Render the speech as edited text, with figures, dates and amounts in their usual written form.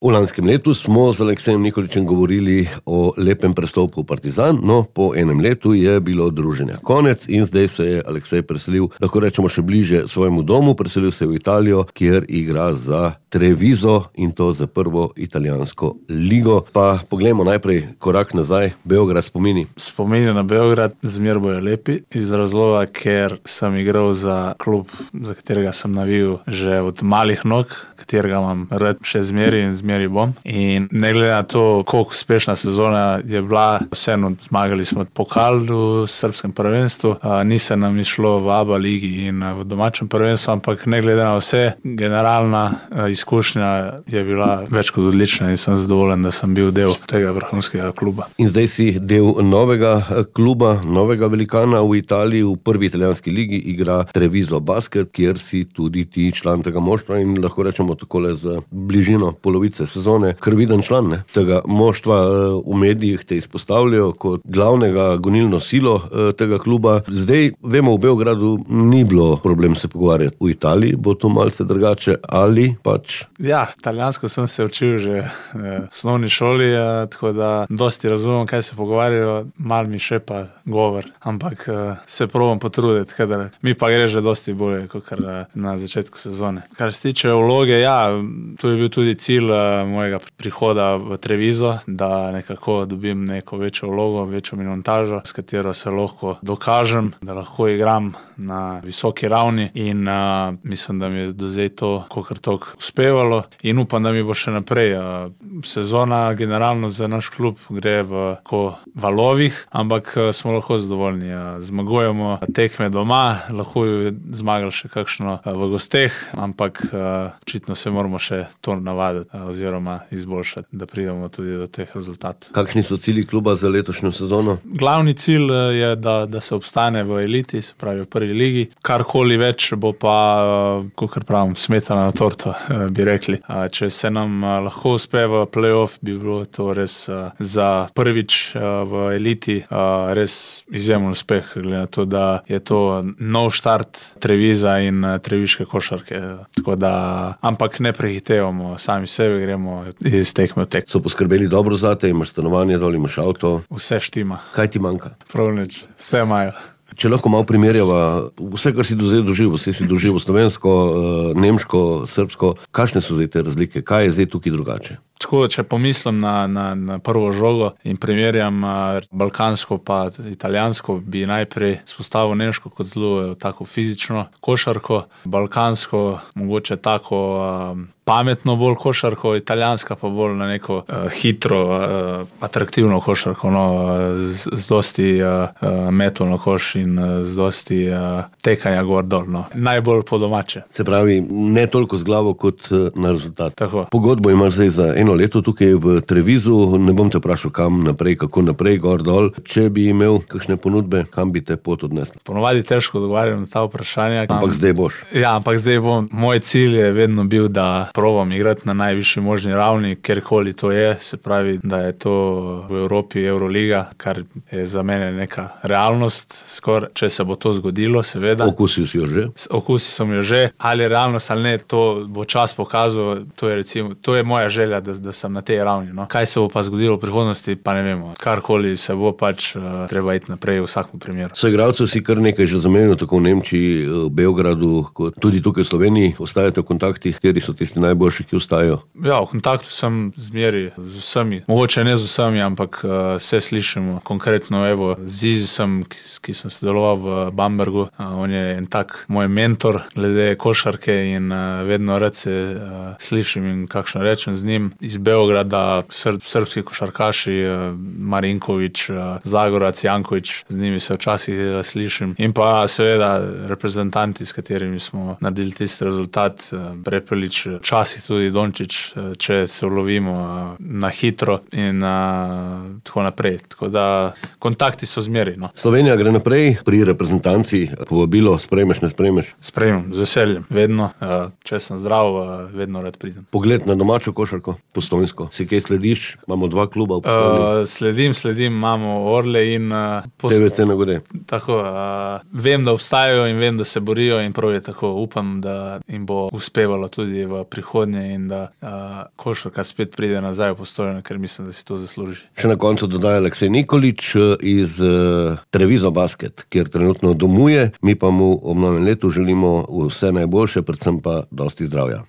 V lanskem letu smo z Aleksejem Nikolićem govorili o lepem prestopu v Partizan, no po enem letu je bilo druženja konec in zdaj se je Aleksej preselil, lahko rečemo še bliže svojemu domu, preselil se je v Italijo, kjer igra za Treviso in to za prvo italijansko ligo. Pa poglejmo najprej korak nazaj, Beograd spomini. Spomini na Beograd zmer bojo lepi, iz razloga, ker sem igral za klub, za katerega sem navijal že od malih nog, katerega imam rad še zmeri in zmeri bom. In ne glede na to, koliko uspešna sezona je bila, vseeno zmagali smo pokal v srbskem prvenstvu, ni se nam išlo v ABA ligi in v domačem prvenstvu, ampak ne glede na vse, generalna izkušnja je bila več kot odlična in sem zadovoljen, da sem bil del tega vrhunskega kluba. In zdaj si del novega kluba, novega velikana v Italiji, v prvi italijanski ligi igra Treviso Basket, kjer si tudi ti član tega moštva in lahko rečemo takole z bližino polovice sezone krviden član tega moštva. V medijih te izpostavljajo kot glavnega gonilno silo tega kluba. Zdaj vemo, v Beogradu ni bilo problem se pogovarjati. V Italiji bo to malce drugače ali pač? Ja, italijansko sem se učil že v osnovni šoli, tako da dosti razumem, kaj se pogovarjajo, mal mi še pa govor, ampak se probam potruditi, kadar mi pa gre že dosti bolje, kot na začetku sezone. Kar se tiče vloge, ja, to je bil tudi cilj mojega prihoda v Treviso, da nekako dobim neko večjo vlogo, večjo minutažo, s katero se lahko dokažem, da lahko igram na visoki ravni in mislim, da mi je do zdaj to kakor toliko uspevalo in upam, da mi bo še naprej. Sezona generalno za naš klub gre v valovih, ampak smo lahko zadovoljni. Zmagujemo tekme doma, lahko jo zmagali še kakšno v gosteh, ampak očitno se moramo še to navaditi oziroma izboljšati, da pridemo tudi do teh rezultatov. Kakšni so cilji kluba za letošnjo sezono? Glavni cilj je, da se obstane v eliti, se pravi v prvi ligi. Karkoli več bo pa, kakor pravim, smetana na torto, bi rekli. Če se nam lahko uspe v play-off, bi bilo to res za prvič v eliti res izjemen uspeh, glede na to, da je to nov štart Trevisa in treviške košarke. Tako da, ampak ne prehitevamo sami sebe, gremo iz tekme v tekmo. So poskrbeli dobro zate, imaš stanovanje dol, imaš avto? Vse štima. Kaj ti manjka? Prav nič, vse imajo. Če lahko malo primerjava, vse, kar si do zdaj doživel, vse si doživel slovensko, nemško, srbsko, kakšne so zdaj te razlike? Kaj je zdaj tukaj drugače? Tako, če pomislim na prvo žogo in primerjam balkansko pa italijansko, bi najprej spostavil nemško kot zelo tako fizično košarko, balkansko mogoče tako pametno bolj košarko, italijanska pa bolj na neko hitro, atraktivno košarko, z dosti metov na koš in z dosti tekanja gor dol. Najbolj po domače. Se pravi, ne toliko z glavo kot na rezultat. Tako. Pogodbo imaš zdaj za eno leto tukaj v Trevisu, ne bom te vprašal kam naprej, kako naprej, gor dol. Če bi imel kakšne ponudbe, kam bi te pot odnesla? Ponovadi težko odgovarjam na ta vprašanja. Ampak zdaj boš. Ja, ampak zdaj bom. Moj cilj je vedno bil, da probam igrati na najvišji možni ravni, kjerkoli to je, se pravi, da je to v Evropi Euroliga, kar je za mene neka realnost, skoraj, če se bo to zgodilo, seveda. Okusil si jo že? Okusil sem jo že, ali je realnost ali ne, to bo čas pokazal, to je moja želja, da sem na tej ravni. Kaj se bo pa zgodilo v prihodnosti, pa ne vemo. Karkoli se bo, pač treba iti naprej v vsakem primeru. So igralcev si kar nekaj že zamenjal, tako v Nemčiji, v Beogradu, kot tudi tukaj v Sloveniji. Ostajate v kontaktih, kateri so tisti najboljši, ki ostajajo? Ja, v kontaktu sem zmeri z vsemi. Mogoče ne z vsemi, ampak se slišimo. Konkretno, evo, z Izisom, ki sem sodeloval v Bambergu, on je en tak moj mentor glede košarke in vedno rad se slišim in kakšno rečem z njim. Iz Beograda srbski košarkaši, Marinković, Zagorac, Janković, z njimi se včasih slišim. In pa seveda reprezentanti, s katerimi smo naredili tisti rezultat, Prepelić, včasih tudi Dončić, če se ulovimo na hitro in tako naprej. Tako da kontakti so zmeri. Slovenija gre naprej pri reprezentanci, povabilo sprejmeš, ne sprejmeš? Sprejmem, z veseljem, vedno. Če sem zdrav, vedno rad pridem. Pogled na domačo košarko, Postojnsko. Si kaj slediš? Imamo 2 kluba v Postojni. Sledim, imamo Orle in TVC na Gode. Tako, vem, da obstajajo in vem, da se borijo in prav je tako. Upam, da jim bo uspevalo tudi v prihodnje in da košarka spet pride nazaj v Postojno, ker mislim, da si to zasluži. Še na koncu dodaja Aleksej Nikolič iz Treviso Basket, kjer trenutno domuje. Mi pa mu ob novem letu želimo vse najboljše, predvsem pa dosti zdravja.